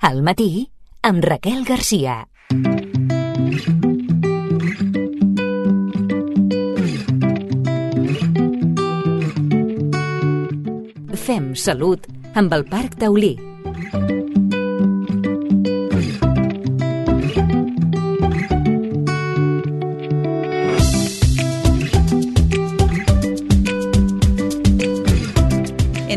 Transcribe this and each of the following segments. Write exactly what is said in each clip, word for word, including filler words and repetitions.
Al matí, amb Raquel Garcia. Fem salut amb el Parc Taulí.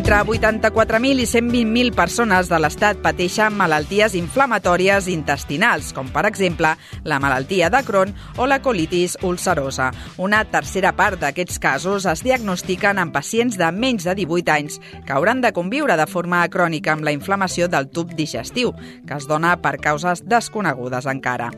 Entre vuitanta-quatre mil i cent vint mil persones de l'Estat pateixen malalties inflamatòries intestinals, com per exemple la malaltia de Crohn o la colitis ulcerosa. Una tercera part d'aquests casos es diagnostiquen en pacients de menys de divuit anys que hauran de conviure de forma crònica amb la inflamació del tub digestiu, que es dona per causes desconegudes encara.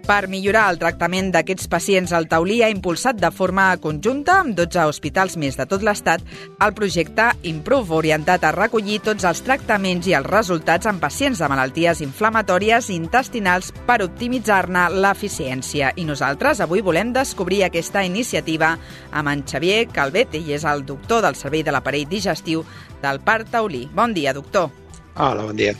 Per millorar el tractament d'aquests pacients, el Taulí ha impulsat de forma conjunta, amb dotze hospitals més de tot l'Estat, el projecte Improve, orientat a recollir tots els tractaments i els resultats en pacients de malalties inflamatòries intestinals per optimitzar-ne l'eficiència. I nosaltres avui volem descobrir aquesta iniciativa amb en Xavier Calvet, ell és el doctor del Servei de l'Aparell Digestiu del Parc Taulí. Bon dia, doctor. Hola, bon dia.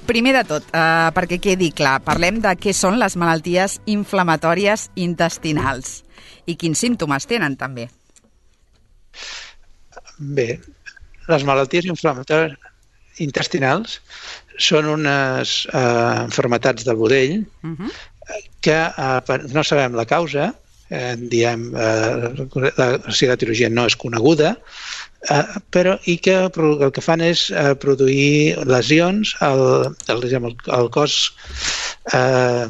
Primer de tot, eh, perquè quedi clar, parlem de què són les malalties inflamatòries intestinals i quins símptomes tenen, també. Bé, les malalties inflamatòries intestinals són unes eh, malalties del budell uh-huh. que eh, no sabem la causa, eh, diem, eh, la, o sigui, l'etiologia no és coneguda, Uh, però i que el que fan és uh, produir lesions al, al, al, al cos, uh,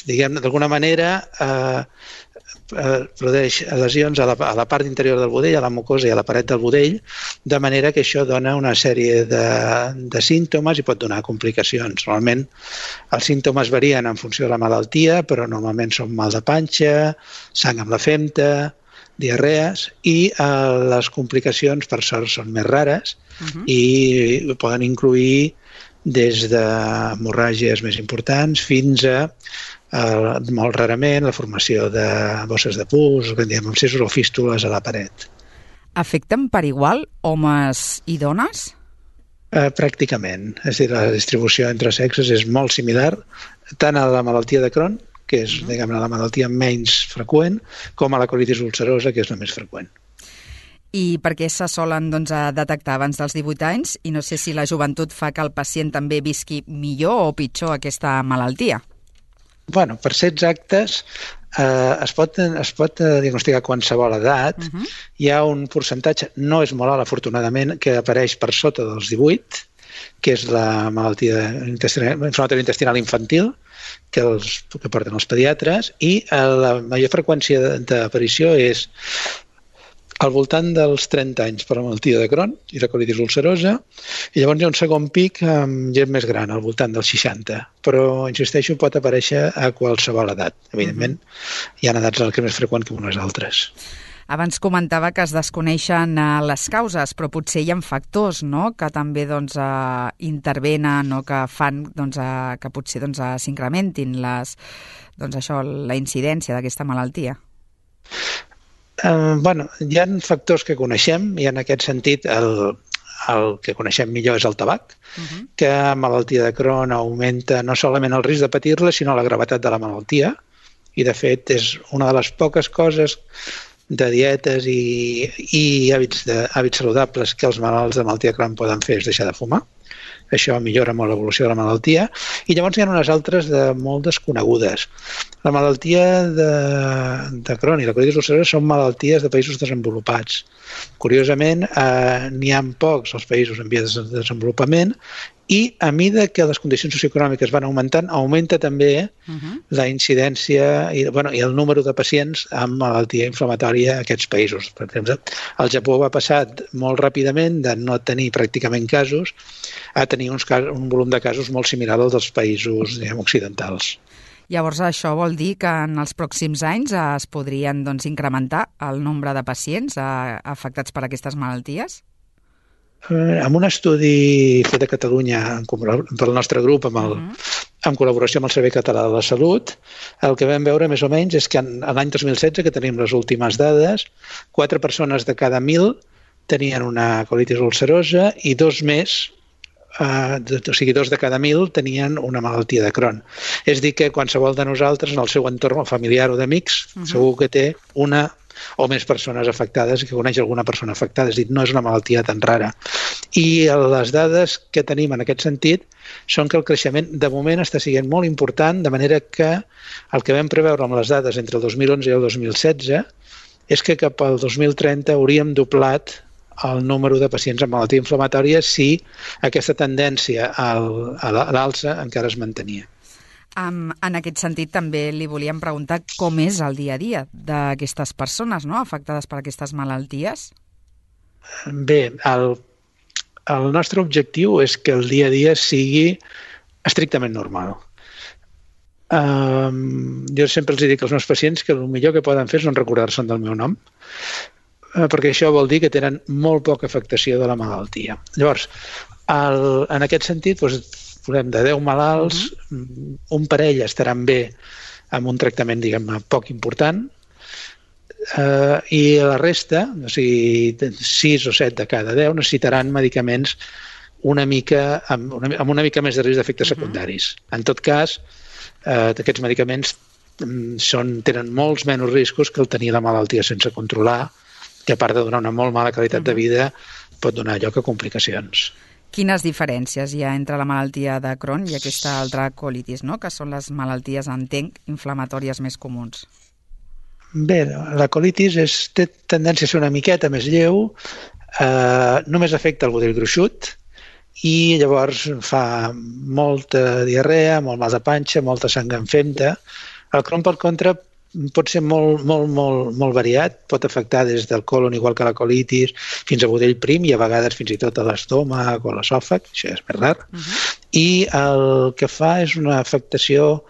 diguem, d'alguna manera uh, uh, produeix lesions a la, a la part interior del budell, a la mucosa i a la paret del budell, de manera que això dona una sèrie de, de símptomes i pot donar complicacions. Normalment els símptomes varien en funció de la malaltia, però normalment són mal de panxa, sang amb la femta, diarrees, i eh, les complicacions per sort són més rares uh-huh. i poden incloure des d'hemorràgies més importants fins a eh, molt rarament la formació de bosses de pus, que diem abscessos o fístules a la paret. Afecten per igual homes i dones? Eh, pràcticament. És a dir, la distribució entre sexes és molt similar tant a la malaltia de Crohn, que és, diguem, la malaltia menys freqüent, com a la colitis ulcerosa, que és la més freqüent. I per què se solen doncs, detectar abans dels divuit anys? I no sé si la joventut fa que el pacient també visqui millor o pitjor aquesta malaltia. Bueno, per ser exactes, eh, es pot, es pot diagnosticar a qualsevol edat. Uh-huh. Hi ha un percentatge, no és molt alt, afortunadament, que apareix per sota dels divuit, que és la malaltia intestinal, inflamatòria intestinal infantil, que, els, que porten els pediatres, i la major freqüència d'aparició és al voltant dels trenta anys per la malaltia de Crohn i la colitis ulcerosa, i llavors hi ha un segon pic amb gent més gran, al voltant dels seixanta. Però, insisteixo, pot aparèixer a qualsevol edat. Evidentment, uh-huh. hi ha edats en què és més freqüent que unes altres. Abans comentava que es desconeixen uh, les causes, però potser hi ha factors, no?, que també doncs, uh, intervenen o que fan doncs, uh, que potser doncs, uh, s'incrementin les, doncs, això, la incidència d'aquesta malaltia. Uh, bueno, hi ha factors que coneixem i en aquest sentit el, el que coneixem millor és el tabac, uh-huh. que a malaltia de Crohn augmenta no solament el risc de patir-la, sinó la gravetat de la malaltia, i de fet és una de les poques coses de dietes i, i hàbits, de, hàbits saludables que els malalts de malaltia de Crohn poden fer és deixar de fumar. Això millora molt l'evolució de la malaltia. I llavors hi ha unes altres de molt desconegudes. La malaltia de, de Crohn i la colitis ulcerosa són malalties de països desenvolupats. Curiosament, eh, n'hi ha pocs als països en via de desenvolupament, i a mesura que les condicions socioeconòmiques van augmentant, augmenta també uh-huh. la incidència i, bueno, i el número de pacients amb malaltia inflamatòria a aquests països. Per exemple, el Japó va passar molt ràpidament de no tenir pràcticament casos a tenir uns casos, un volum de casos molt similar al dels països, diguem, occidentals. Llavors, això vol dir que en els pròxims anys es podrien doncs, incrementar el nombre de pacients eh, afectats per aquestes malalties? Eh, amb un estudi fet a Catalunya pel nostre grup, amb, el, uh-huh. en col·laboració amb el Servei Català de la Salut, el que vam veure més o menys és que en, en l'any dos mil setze, que tenim les últimes dades, quatre persones de cada mil tenien una colitis ulcerosa i dos més Uh, o sigui, dos de cada mil tenien una malaltia de Crohn. És dir, que qualsevol de nosaltres, en el seu entorn familiar o d'amics, uh-huh. segur que té una o més persones afectades i que coneix alguna persona afectada. És dir, no és una malaltia tan rara. I les dades que tenim en aquest sentit són que el creixement de moment està sent molt important, de manera que el que vam preveure amb les dades entre el dos mil onze i el dos mil setze és que cap al dos mil trenta hauríem doblat el número de pacients amb malaltia inflamatòria si aquesta tendència al, a l'alça encara es mantenia. Um, en aquest sentit, també li volíem preguntar com és el dia a dia d'aquestes persones, no?, afectades per aquestes malalties. Bé, el, el nostre objectiu és que el dia a dia sigui estrictament normal. Um, jo sempre els dic als meus pacients que el millor que poden fer és no recordar-se'n del meu nom, perquè això vol dir que tenen molt poca afectació de la malaltia. Llavors, el, en aquest sentit, doncs, posem de deu malalts, uh-huh. un parell estaran bé amb un tractament, diguem-ne, poc important, eh, i la resta, o sigui, sis o set de cada deu, necessitaran medicaments una mica, amb, una, amb una mica més de risc d'efectes uh-huh. secundaris. En tot cas, eh, aquests medicaments són, tenen molts menys riscos que el tenir la malaltia sense controlar, que a part de donar una molt mala qualitat uh-huh. de vida, pot donar lloc a complicacions. Quines diferències hi ha entre la malaltia de Crohn i aquesta altra colitis, no?, que són les malalties, entenc, inflamatòries més comuns? Bé, la colitis és, té tendència a ser una miqueta més lleu, eh, només afecta el budell gruixut i llavors fa molta diarrea, molt mal de panxa, molta sang en femta. El Crohn, per contra, pot ser molt, molt, molt, molt variat, pot afectar des del colon, igual que la colitis, fins a budell prim i a vegades fins i tot a l'estómac o a l'esòfag, això és més rar. Uh-huh. I el que fa és una afectació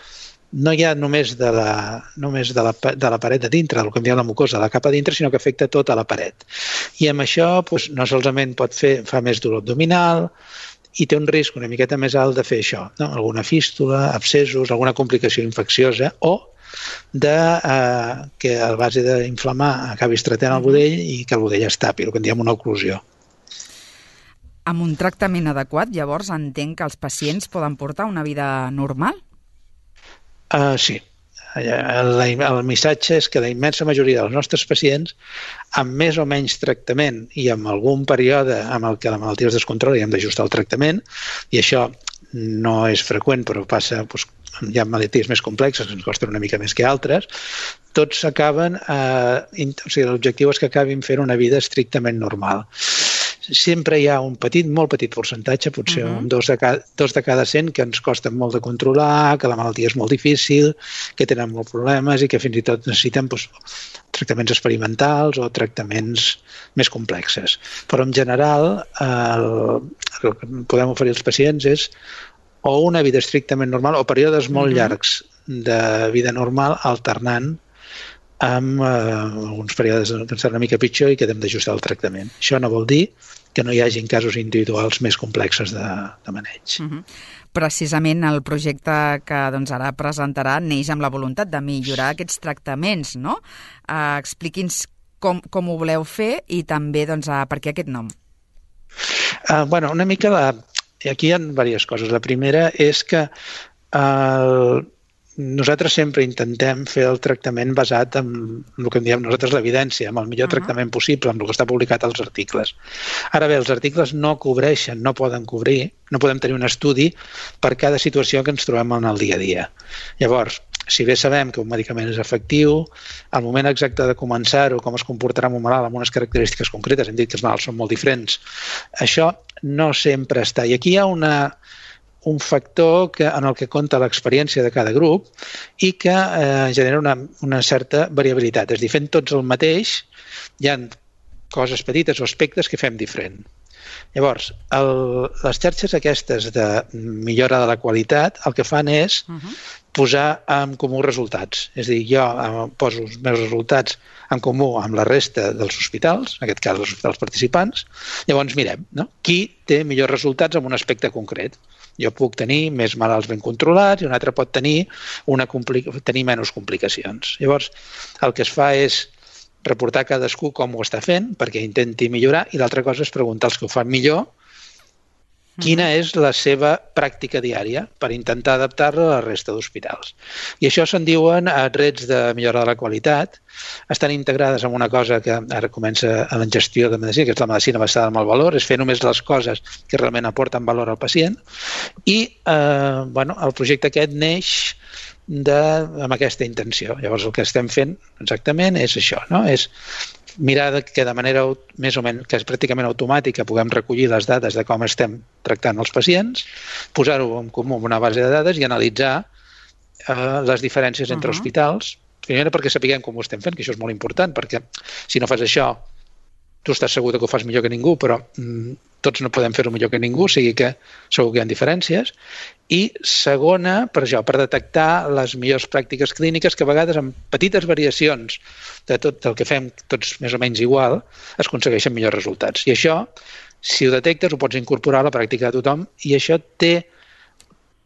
no ja només de la, només de la, de la paret de dintre, del que en diem la mucosa, la capa dintre, sinó que afecta tota la paret. I amb això doncs, no solament pot fer, fa més dolor abdominal i té un risc una miqueta més alt de fer això, no? Alguna fístula, abscessos, alguna complicació infecciosa o de eh, que a base d'inflamar acabi estretant el budell i que el budell es tapi, el que en diem una oclusió. Amb un tractament adequat, llavors, entenc que els pacients poden portar una vida normal? Uh, sí. El, el missatge és que la immensa majoria dels nostres pacients, amb més o menys tractament i amb algun període amb el que la malaltia es descontrola i hem d'ajustar el tractament, i això no és freqüent, però passa, doncs, hi ha malalties més complexes que ens costen una mica més que altres, tots acaben, eh, o sigui, l'objectiu és que acabin fent una vida estrictament normal. Sempre hi ha un petit, molt petit percentatge, potser uh-huh. un dos de, cada, dos de cada cent, que ens costen molt de controlar, que la malaltia és molt difícil, que tenen molts problemes i que fins i tot necessiten doncs, tractaments experimentals o tractaments més complexes. Però en general el, el que podem oferir als pacients és o una vida estrictament normal o períodes molt uh-huh. llargs de vida normal alternant amb eh, alguns períodes que seran una mica pitjor i que hem d'ajustar el tractament. Això no vol dir que no hi hagi casos individuals més complexes de, de maneig. Uh-huh. Precisament el projecte que doncs, ara presentarà neix amb la voluntat de millorar aquests tractaments, no? Uh, expliqui'ns com, com ho voleu fer i també doncs, uh, per què aquest nom. Uh, bueno, una mica la... Aquí hi ha diverses coses. La primera és que uh, nosaltres sempre intentem fer el tractament basat en el que en diem nosaltres l'evidència, amb el millor uh-huh. tractament possible, amb el que està publicat als articles. Ara bé, els articles no cobreixen, no poden cobrir, no podem tenir un estudi per cada situació que ens trobem en el dia a dia. Llavors, si bé sabem que un medicament és efectiu, el moment exacte de començar-ho, com es comportarà amb un malalt amb unes característiques concretes, hem dit que els malalts són molt diferents, això no sempre està. I aquí hi ha una... un factor que, en el que compta l'experiència de cada grup i que eh, genera una, una certa variabilitat. És a dir, fent tots el mateix, hi ha coses petites o aspectes que fem diferent. Llavors, el, les xarxes aquestes de millora de la qualitat el que fan és uh-huh. posar en comú resultats. És a dir, jo eh, poso els meus resultats en comú amb la resta dels hospitals, en aquest cas els hospitals participants, llavors mirem, no? Qui té millors resultats en un aspecte concret. Jo puc tenir més malalts ben controlats i un altre pot tenir, una compli- tenir menys complicacions. Llavors, el que es fa és reportar cadascú com ho està fent perquè intenti millorar i l'altra cosa és preguntar als que ho fan millor quina és la seva pràctica diària per intentar adaptar-la a la resta d'hospitals. I això se'n diuen rets de millora de la qualitat. Estan integrades en una cosa que ara comença a la gestió de medicina, que és la medicina basada en el valor, és fer només les coses que realment aporten valor al pacient. I eh, bueno, el projecte aquest neix de, amb aquesta intenció. Llavors el que estem fent exactament és això, no? És mirar que de manera més o menys, que és pràcticament automàtica, puguem recollir les dades de com estem tractant els pacients, posar-ho en comú en una base de dades i analitzar eh, les diferències entre uh-huh. hospitals, primera perquè sapiguem com ho estem fent, que això és molt important, perquè si no fas això, tu estàs segur que ho fas millor que ningú, però mm, tots no podem fer-ho millor que ningú, o sigui que segur que hi ha diferències. I segona, per això, per detectar les millors pràctiques clíniques que a vegades amb petites variacions de tot el que fem tots més o menys igual, es aconsegueixen millors resultats. I això, si ho detectes, ho pots incorporar a la pràctica de tothom i això té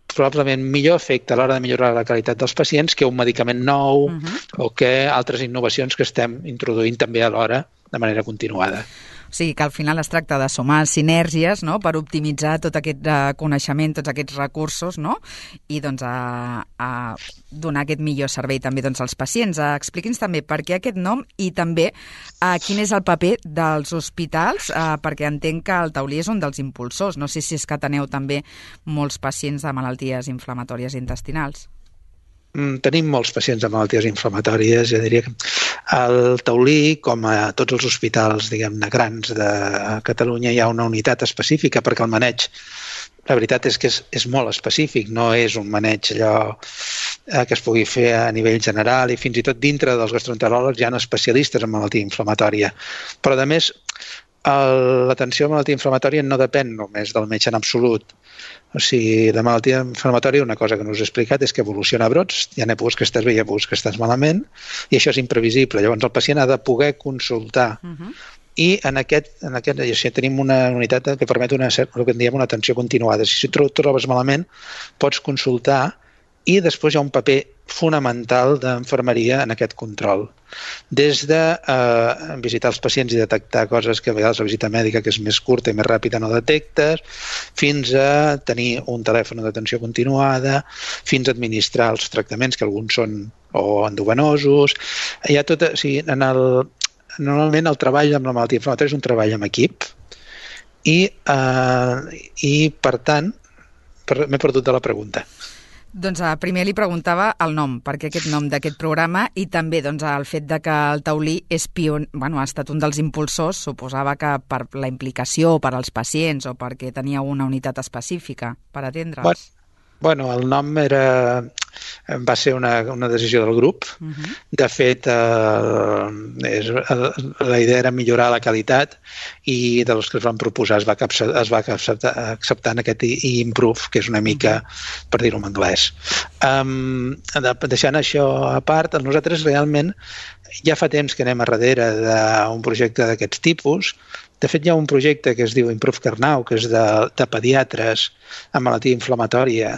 probablement millor efecte a l'hora de millorar la qualitat dels pacients que un medicament nou uh-huh. o que altres innovacions que estem introduint també alhora de manera continuada. O sigui que al final es tracta de sumar sinergies, no?, per optimitzar tot aquest uh, coneixement, tots aquests recursos, no?, i doncs a, a donar aquest millor servei també doncs, als pacients. Uh, Expliqui'ns també per què aquest nom i també uh, quin és el paper dels hospitals, uh, perquè entenc que el taulí és un dels impulsors. No sé si és que teneu també molts pacients de malalties inflamatòries intestinals. Tenim molts pacients amb malalties inflamatòries. Jo diria que al Taulí, com a tots els hospitals, diguem-ne, grans de Catalunya, hi ha una unitat específica perquè el maneig, la veritat és que és, és molt específic, no és un maneig allò que es pugui fer a nivell general i fins i tot dintre dels gastroenteròlegs hi ha especialistes en malaltia inflamatòria. Però, a més, l'atenció a malaltia inflamatòria no depèn només del metge en absolut. O sigui, la malaltia inflamatòria, una cosa que no us he explicat, és que evoluciona a brots, hi ha èpoques que estàs bé i èpoques que estàs malament, i això és imprevisible. Llavors el pacient ha de poder consultar. Uh-huh. I en aquest, en aquest si tenim una unitat que permet una, el que en diem una atenció continuada. Si tu trobes malament, pots consultar i després hi ha un paper fonamental d'infermeria en aquest control. Des de eh, visitar els pacients i detectar coses que a vegades la visita mèdica, que és més curta i més ràpida, no detectes, fins a tenir un telèfon d'atenció continuada, fins a administrar els tractaments, que alguns són o endovenosos. Hi ha tot, o sigui, en el, normalment el treball amb la malaltia inflamatòria és un treball en equip i, eh, i per tant, per, m'he perdut de la pregunta. Doncs primer li preguntava el nom, perquè aquest nom d'aquest programa i també doncs, el fet de que el Taulí és pion... bueno, ha estat un dels impulsors, suposava que per la implicació per als pacients o perquè tenia una unitat específica per atendre'ls. Bueno, bueno, el nom era... va ser una, una decisió del grup. Uh-huh. De fet, eh, és, la idea era millorar la qualitat i dels que es van proposar es va, capçar, es va acceptar, acceptar en aquest improve, que és una mica, uh-huh. per dir-ho en anglès. Um, deixant això a part, nosaltres realment ja fa temps que anem a darrere d'un projecte d'aquests tipus. De fet, hi ha un projecte que es diu Improve Carnau, que és de, de pediatres amb malaltia inflamatòria,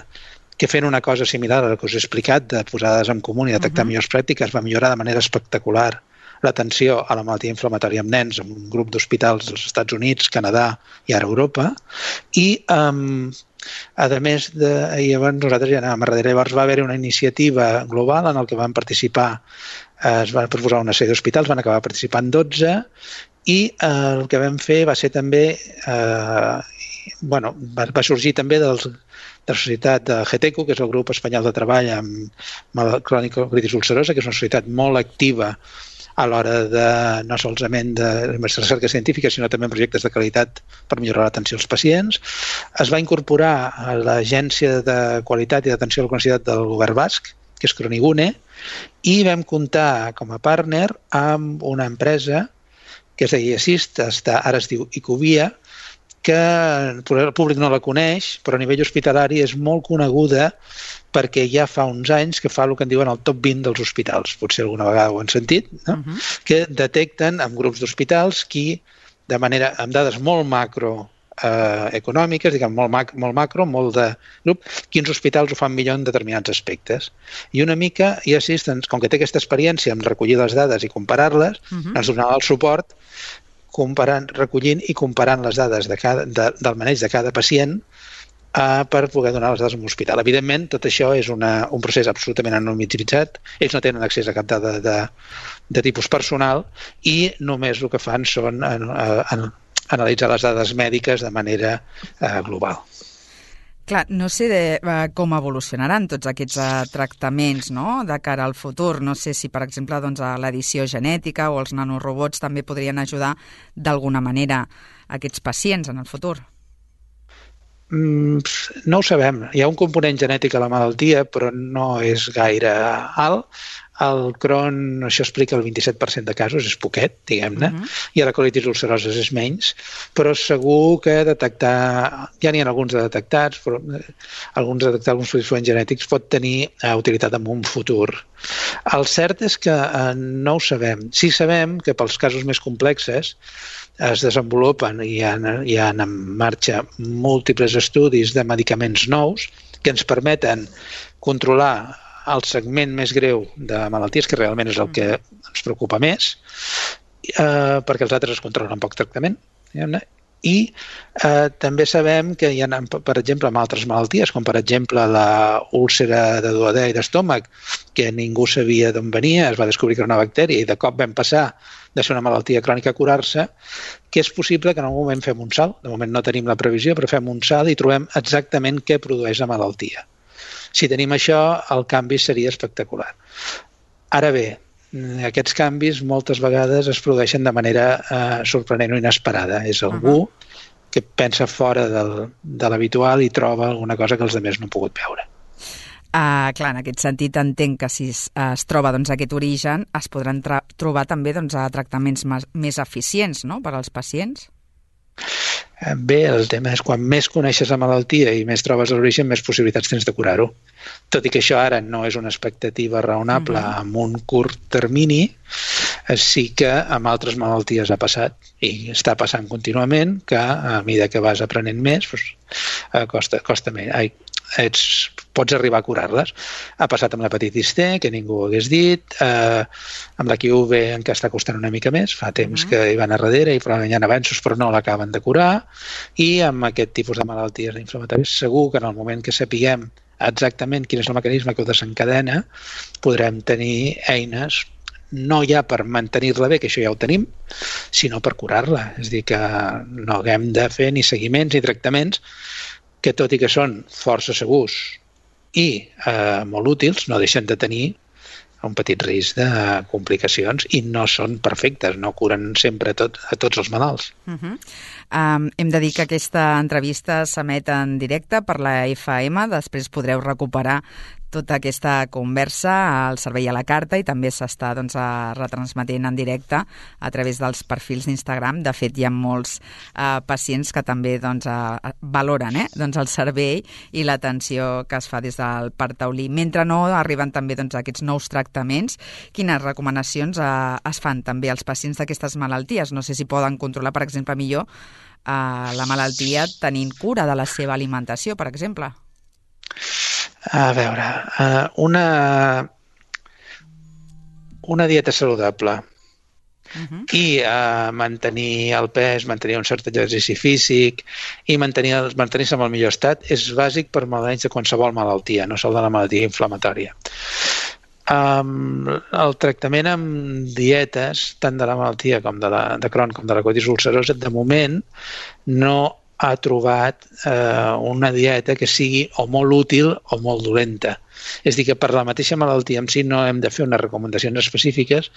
que fent una cosa similar a la que us he explicat, de posades en comú i detectar uh-huh. millors pràctiques, va millorar de manera espectacular l'atenció a la malaltia inflamatòria amb nens en un grup d'hospitals dels Estats Units, Canadà i ara Europa. I, um, a més, de, llavors nosaltres ja anàvem a darrere. Llavors va haver una iniciativa global en la que van participar, eh, es van proposar una sèrie d'hospitals, van acabar participant dotze, i eh, el que vam fer va ser també, eh, bueno, va, va sorgir també dels de la societat de GETECO, que és el grup espanyol de treball amb crònica colitis ulcerosa, que és una societat molt activa a l'hora de no solament de recerca científica, sinó també en projectes de qualitat per millorar l'atenció als pacients. Es va incorporar a l'Agència de Qualitat i d'Atenció a la Cronicitat del Govern Basc, que és Cronigune, i vam comptar com a partner amb una empresa que es deia Assist, ara es diu Icovia, que el públic no la coneix, però a nivell hospitalari és molt coneguda perquè ja fa uns anys que fa el que en diuen el top vint dels hospitals. Potser alguna vegada ho han sentit, no? Uh-huh. Que detecten en grups d'hospitals qui, de manera, amb dades molt macro eh, econòmiques, diguem, molt, mac, molt macro, molt de grup, quins hospitals ho fan millor en determinats aspectes. I una mica, i Assistance, com que té aquesta experiència en recollir les dades i comparar-les, uh-huh. ens donava el suport comparant, recollint i comparant les dades de cada, de, del maneig de cada pacient uh, per poder donar les dades en l'hospital. Evidentment, tot això és una, un procés absolutament anonimitzat. Ells no tenen accés a cap dada de, de tipus personal i només el que fan són en, en, analitzar les dades mèdiques de manera uh, global. Clar, no sé de, uh, com evolucionaran tots aquests uh, tractaments, no?, de cara al futur. No sé si, per exemple, doncs, l'edició genètica o els nanorobots també podrien ajudar d'alguna manera a aquests pacients en el futur. Mm, no ho sabem. Hi ha un component genètic a la malaltia, però no és gaire alt. El Crohn, això explica el vint-i-set per cent de casos, és poquet, diguem-ne, uh-huh. i a la colitis ulcerosa és menys, però segur que detectar, ja n'hi ha alguns de detectats, però alguns de detectar alguns fluents genètics pot tenir uh, utilitat en un futur. El cert és que uh, no ho sabem. Sí sabem que pels casos més complexes es desenvolupen i hi ha, hi ha en marxa múltiples estudis de medicaments nous que ens permeten controlar el segment més greu de malalties, que realment és el que ens preocupa més, eh, perquè els altres es controlen amb poc tractament. I eh, també sabem que hi ha, per exemple, amb altres malalties, com per exemple la úlcera de duodè i d'estómac, que ningú sabia d'on venia, es va descobrir que era una bactèria i de cop vam passar de ser una malaltia crònica a curar-se, que és possible que en algun moment fem un salt. De moment no tenim la previsió, però fem un salt i trobem exactament què produeix la malaltia. Si tenim això, el canvi seria espectacular. Ara bé, aquests canvis moltes vegades es produeixen de manera eh, sorprenent o inesperada. És algú uh-huh. que pensa fora del, de l'habitual i troba alguna cosa que els altres no han pogut veure. Uh, clar, en aquest sentit entenc que si es, es troba doncs, aquest origen es podran tra- trobar també doncs, a tractaments més, més eficients, no?, per als pacients. Bé, el tema és quan més coneixes la malaltia i més trobes l'origen, més possibilitats tens de curar-ho. Tot i que això ara no és una expectativa raonable uh-huh. amb un curt termini, sí que amb altres malalties ha passat i està passant contínuament que a mesura que vas aprenent més doncs, costa, costa més. Ai, ets, pots arribar a curar-les. Ha passat amb l'hepatitis C, que ningú ho hagués dit, eh, amb la Q V encara està costant una mica més, fa temps uh-huh. que hi van a darrere i probablement hi ha avanços però no l'acaben de curar, i amb aquest tipus de malalties inflamatòries segur que en el moment que sapiguem exactament quin és el mecanisme que ho desencadena podrem tenir eines no ja per mantenir-la bé, que això ja ho tenim, sinó per curar-la. És a dir, que no haguem de fer ni seguiments ni tractaments que, tot i que són força segurs i eh, molt útils, no deixen de tenir un petit risc de complicacions i no són perfectes, no curen sempre tot, a tots els malalts. Uh-huh. Um, hem de dir que aquesta entrevista s'emet en directe per la F M, després podreu recuperar tota aquesta conversa al servei a la carta i també s'està doncs, retransmetent en directe a través dels perfils d'Instagram. De fet, hi ha molts eh, pacients que també doncs, eh, valoren eh, doncs, el servei i l'atenció que es fa des del Parc Taulí. Mentre no arriben també doncs, aquests nous tractaments, quines recomanacions eh, es fan també als pacients d'aquestes malalties? No sé si poden controlar, per exemple, millor eh, la malaltia tenint cura de la seva alimentació, per exemple. A veure, una, una dieta saludable uh-huh. i uh, mantenir el pes, mantenir un cert exercici físic i mantenir, mantenir-se en el millor estat és bàsic per malalts de qualsevol malaltia, no sol de la malaltia inflamatòria. Um, el tractament amb dietes, tant de la malaltia com de, la, de Crohn com de la colitis ulcerosa, de moment no ha trobat eh, una dieta que sigui o molt útil o molt dolenta. És a dir, que per la mateixa malaltia en si no hem de fer unes recomanacions específiques,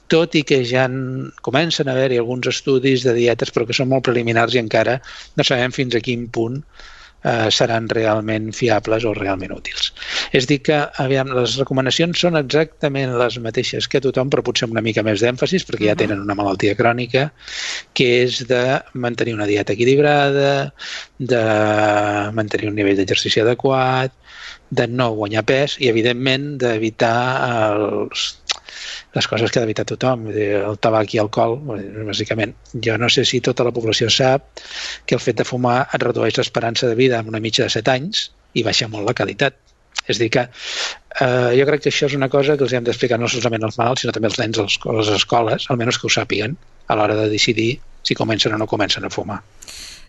tot i que ja en, comencen a haver-hi alguns estudis de dietes però que són molt preliminars i encara no sabem fins a quin punt eh, seran realment fiables o realment útils. És a dir que aviam, les recomanacions són exactament les mateixes que tothom, però potser amb una mica més d'èmfasis, perquè ja tenen una malaltia crònica, que és de mantenir una dieta equilibrada, de mantenir un nivell d'exercici adequat, de no guanyar pes i, evidentment, d'evitar els, les coses que ha d'evitar tothom, el tabac i alcohol, bàsicament. Jo no sé si tota la població sap que el fet de fumar et redueix l'esperança de vida en una mitja de set anys i baixa molt la qualitat. És a dir, que eh, jo crec que això és una cosa que els hem d'explicar no solament als malalts, sinó també als nens a les escoles, almenys que ho sàpiguen, a l'hora de decidir si comencen o no comencen a fumar.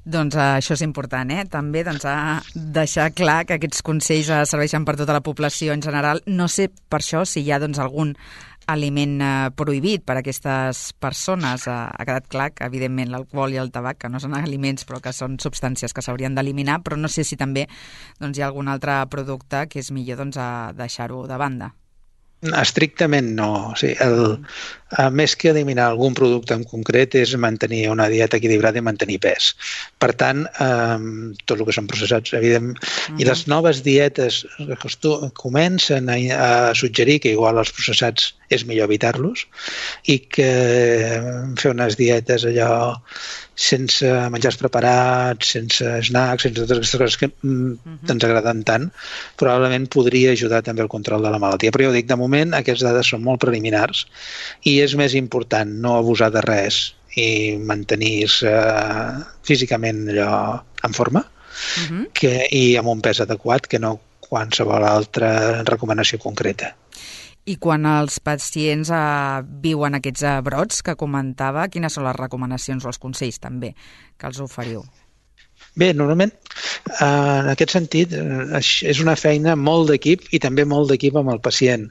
Doncs uh, això és important, eh? També doncs, a deixar clar que aquests consells uh, serveixen per tota la població en general. No sé per això si hi ha doncs, algun aliment uh, prohibit per a aquestes persones. Uh, ha quedat clar que, evidentment, l'alcohol i el tabac, que no són aliments, però que són substàncies que s'haurien d'eliminar, però no sé si també doncs, hi ha algun altre producte que és millor doncs, a deixar-ho de banda. Estrictament no. O sigui, el, a més que eliminar algun producte en concret és mantenir una dieta equilibrada i mantenir pes. Per tant, eh, tot el que són processats, evident, uh-huh. i les noves dietes comencen a, a suggerir que igual els processats és millor evitar-los i que fer unes dietes allò sense menjars preparats, sense snacks, sense totes aquestes coses que mm, ens agraden tant, probablement podria ajudar també al control de la malaltia. Però jo dic, de moment, aquestes dades són molt preliminars i és més important no abusar de res i mantenir-se físicament allò en forma uh-huh. que, i amb un pes adequat que no qualsevol altra recomanació concreta. I quan els pacients eh, viuen aquests eh, brots que comentava, quines són les recomanacions o els consells també que els oferiu? Bé, normalment, eh, en aquest sentit, eh, és una feina molt d'equip i també molt d'equip amb el pacient.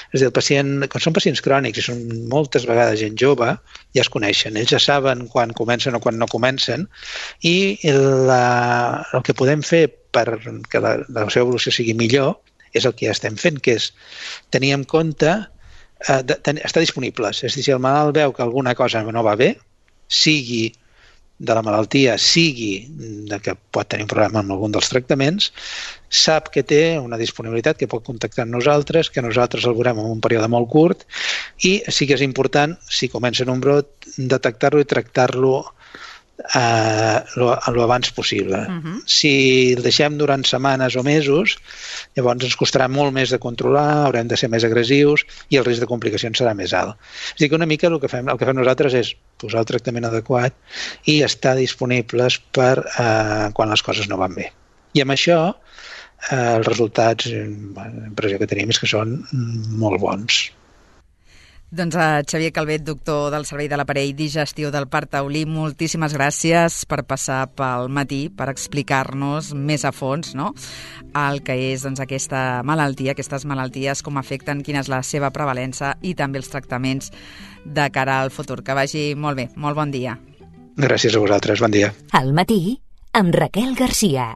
És a dir, el pacient, quan són pacients crònics i són moltes vegades gent jove, ja es coneixen. Ells ja saben quan comencen o quan no comencen i la, el que podem fer perquè la, la seva evolució sigui millor és el que ja estem fent, que és tenir en compte, eh, de, ten, estar disponibles. És a dir, si el malalt veu que alguna cosa no va bé, sigui de la malaltia, sigui de que pot tenir un problema amb algun dels tractaments, sap que té una disponibilitat, que pot contactar amb nosaltres, que nosaltres el veurem en un període molt curt i sí que és important, si comença en un brot, detectar-lo i tractar-lo Uh, lo, lo abans possible. Uh-huh. Si el deixem durant setmanes o mesos, llavors ens costarà molt més de controlar, haurem de ser més agressius i el risc de complicacions serà més alt. És a dir, que una mica el que fem, el que fem nosaltres és posar el tractament adequat i estar disponibles per uh, quan les coses no van bé. I amb això uh, els resultats, l'impressió que tenim és que són molt bons. Doncs a Xavier Calvet, doctor del Servei de l'Aparell Digestiu del Parc Taulí, moltíssimes gràcies per passar pel matí, per explicar-nos més a fons, no?, el que és doncs, aquesta malaltia, aquestes malalties, com afecten, quina és la seva prevalença i també els tractaments de cara al futur. Que vagi molt bé. Molt bon dia. Gràcies a vosaltres. Bon dia. Al matí, amb Raquel Garcia.